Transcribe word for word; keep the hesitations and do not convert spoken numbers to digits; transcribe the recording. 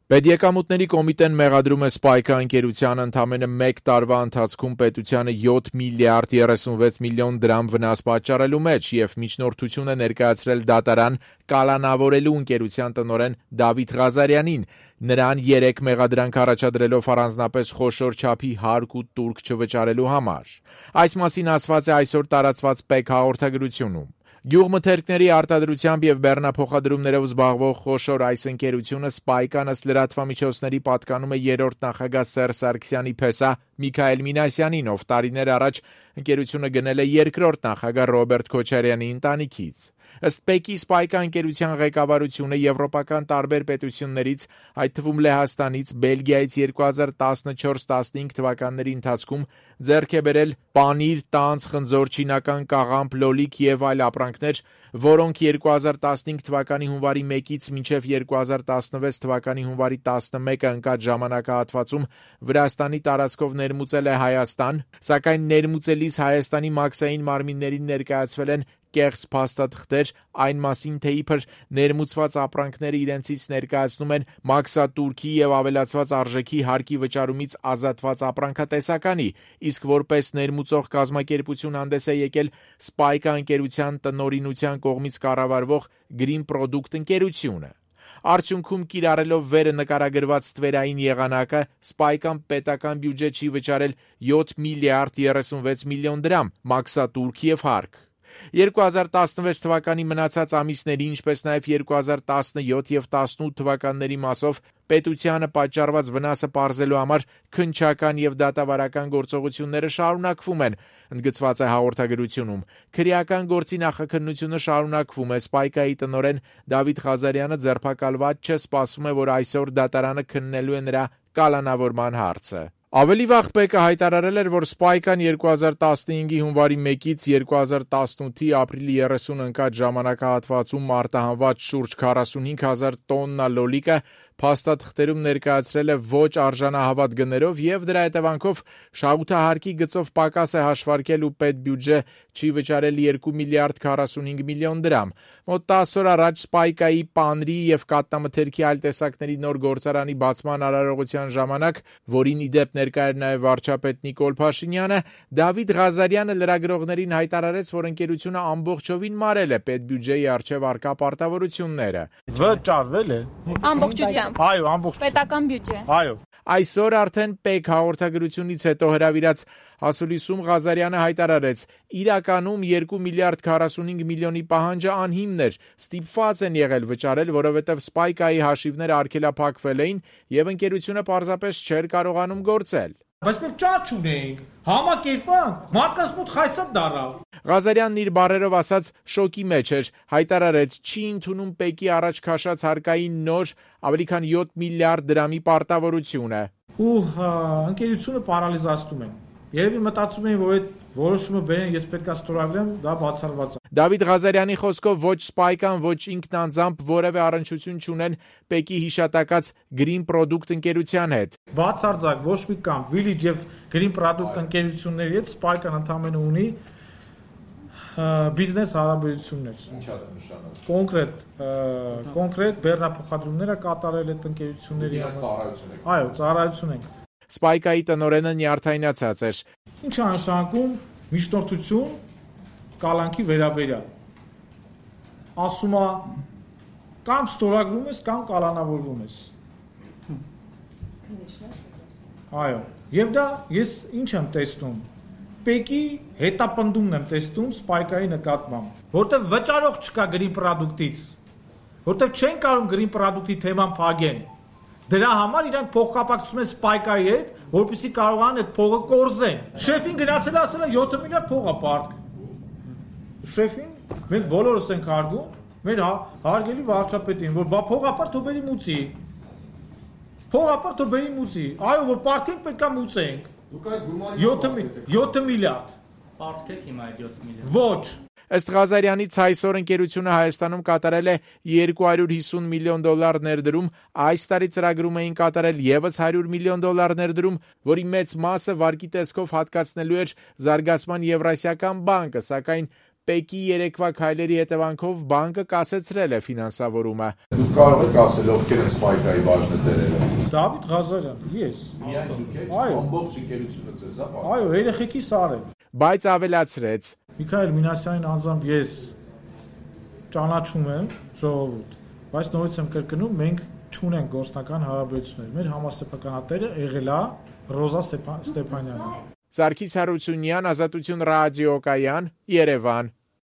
Պետեկամուտների կոմիտեն մեղադրում է Spike-ը ընկերությանը ընդամենը մեկ տարվա ընթացքում պետությանը յոթ միլիարդ երեսունվեց միլիոն դրամ վնաս պատճառելու մեջ և միջնորդություն է ներկայացրել դատարան կալանավորելու ընկերության տնօրեն Դավիթ Ղազարյանին, նրան երեք մեղադրանք առաջադրելով առանձնապես խոշոր չափի հարկ ու տուրք չվճարելու համար։ Այս մասին ասված է այսօր տարածված P E K հաղորդագրությունում։ Գյուղմթերքների արտադրությամբ և բեռնափոխադրումներով զբաղվող խոշոր այս ընկերությունը Spike-ն ըստ լրատվամիջոցների պատկանում է երրորդ նախագահ Սերժ Սարգսյանի փեսա Միքայել Մինասյանին, ով տարիներ առաջ ընկերությունը գնել է երկրորդ նախագահ Ռոբերտ Քոչարյանի ընտանիքից։ Ըստ P E K-ի Spike-ը ընկերության ղեկավարությունը եվրոպական տարբեր պետություններից, այդ թվում Լեհաստանից, Բելգիայից երկու հազար տասնչորս տասնհինգ թվականների ընթացքում ձեռք է բերել պանիր, տանձ, խնձոր, չինական կաղամբ, լոլիկ և այլ ապրանքներ, որոնք երկու հազար տասնհինգ թվականի հունվարի մեկից մինչև երկու հազար տասնվեց թվականի հունվարի տասնմեկը ընկած ժամանակահատվածում Վրաստանի տարածքով ներմուծել է Հայաստան, սակայն ներմուծելիս Հայաստանի մաքսային մարմիններին ներկայացվել են կեղծ փաստաթղթեր այն մասին, թե իբր ներմուծված ապրանքները իրենցից ներկայացնում են մաքսատուրքի և ավելացված արժեքի հարկի վճարումից ազատված ապրանքատեսականի, իսկ որպես ներմուծող կազմակերպություն հանդես է եկել Spike-ը ընկերության տնօրինության կողմից կառավարվող Green Product ընկերությունը։ Արդյունքում կիրառելով վերը նկարագրված ստվերային եղանակը Spike-ն պետական բյուջե չի վճարել յոթ միլիարդ երեսունվեց միլիոն դրամ մաքսատուրք և հարկ։ երկու հազար տասնվեց թվականի մնացած ամիսների, ինչպես նաև երկու հազար տասնյոթ և տասնութ թվականների մասով պետությանը պատճառված վնասը պարզելու համար քննչական և դատավարական գործողությունները շարունակվում են, ընդգծված է հաղորդագրությունում։ Քրեական գործի նախաքննությունը շարունակվում է։ Spike-ի տնօրեն Դավիթ Ղազարյանը ձերբակալված չէ, սպասվում է, որ այսօր դատարանը քննելու է նրա կալանավորման հարցը։ Ավելի վաղ P E K-ը հայտարարել էր, որ Spike-ն երկու հազար տասնհինգի հունվարի մեկից երկու հազար տասնութի ապրիլի երեսունը ընկած ժամանակահատվածում արտահանված շուրջ քառասունհինգ հազար տոննա լոլիկը փաստաթղթերում ներկայացրել է ոչ արժանահավատ գներով և դրա հետևանքով շահութահարկի գծով պակաս է հաշվարկել ու պետբյուջե չի վճարել երկու միլիարդ քառասունհինգ միլիոն դրամ։ Մոտ տասը օր առաջ Spike-ի պանրի և կաթնամթերքի այլ տեսակների նոր գործարանի բացման արարողության ժամանակ, որին ի դեպ ներկա էր նաև վարչապետ Նիկոլ Փաշինյանը, Դավիթ Ղազարյանը լրագրողներին հայտարարեց, որ ընկերությունը ամբողջովին մարել է պետբյուջեի առջև առկա պարտավորությունները։ Վճարվել է ամբողջությամբ։ Այո, ամբողջ պետական բյուջե։ Այո։ Այսօր արդեն P E K հաղորդագրությունից հետո հրավիրած հասուլիսում Ղազարյանը հայտարարեց. իրականում երկու միլիարդ քառասունհինգ միլիոնի պահանջը անհիմն էր, ստիպված են եղել վճարել, որովհետև Spike-ի հաշիվները արգելափակվել էին և ընկերությունը պարզապես չէր կարողանում գործել։ Բայց մենք ճաճ ունեինք, համակերպանք, մարդկանց մոտ խայսատ դառավ։ Ղազարյանն իր բառերով ասած շոկի մեջ էր, հայտարարեց, չի ընդունում P E K-ի առաջ քաշած հարկային նոր ավելի քան յոթ միլիարդ դրամի պարտավորությունը։ Ու ընկերությունը պարալիզացնում են։ Երևի մտածում էին, որ այդ որոշումը բերեն, ես պետք է ստորագրեմ, դա բացառված է։ Դավիթ Ղազարյանի խոսքով ոչ Spike-ն, ոչ ինքն անձամբ որևէ առնչություն չունեն P E K-ի հիշատակած Green Product ընկերության հետ։ Բացարձակ ոչ մի կամ Village եւ Green Product ընկերությունների հետ Spike-ն ընդհանրապես ունի բիզնես հարաբերություններ։ Ինչ է նշանակում։ Կոնկրետ, կոնկրետ բեռնափոխադրումներ է կատարել այդ ընկերությունների հետ։ Այո, ծառայություն ենք։ Spike-ի տնօրենը նյարդայնացած էր։ Ինչ է նշանակում միջնորդություն կալանքի վերաբերյալ։ Ասում է կամ ստորագրում ես, կամ կալանավորվում ես։ Այո, եւ դա ես ինչ եմ տեսնում։ P E K-ի հետապնդումն եմ տեսնում Spike-ի նկատմամբ, որտեղ վճարող չկա Green Product-ից, որտեղ չեն կարող Green Product-ի թեման փակեն։ Դրա համար իրանք փոխկապակցում են Spike-ի հետ, որպեսզի կարողանան այդ փողը կորզեն։ Շեֆին գնացել ասել է յոթ միլիարդ փող է պարտք։ Շեֆին մենք բոլորս ենք հարգում, մեր հարգելի վարչապետին, որ բա փողապար թող բերի մուծի։ Փողապար թող բերի մուծի։ Այո, որ պարտքենք պետքա մուծենք։ Դուք այդ գումարի յոթ միլիարդ։ Պարտքեք հիմա այդ յոթ միլիարդ։ Ոչ։ Ըստ Ղազարյանից այսօր ընկերությունը Հայաստանում կատարել է երկու հարյուր հիսուն միլիոն դոլար ներդրում, այս տարի ծրագրում էին կատարել ևս հարյուր միլիոն դոլար ներդրում, որի մեծ մասը վարկի տեսքով հատկացնելու էր Զարգացման Եվրասիական բանկը, սակայն Պեկի երեկվա քայլերի հետևանքով բանկը կասեցրել է ֆինանսավորումը։ Դուք կարող եք ասել ովքեր են Spike-ի բաժնը դերերը։ Դավիթ Ղազարյան, ես։ Միայն դուք եք։ Այո։ Ամբողջ ընկերությունը ձեզ, հա։ Այո, երեխեքիս արև։ Բայց ավելացրեց. Միքայել Մինասյանին անձամբ ես ճանաչում եմ, ժողովուրդ, բայց նորից եմ կրկնում, մենք չունենք գործնական հարաբերություններ։ Մեր համասեփականատերը եղել է Ռոզա Ստեփանյանը։ Սարգիս Հարությունյան, Ազատություն ռադիոկայան, Երևան։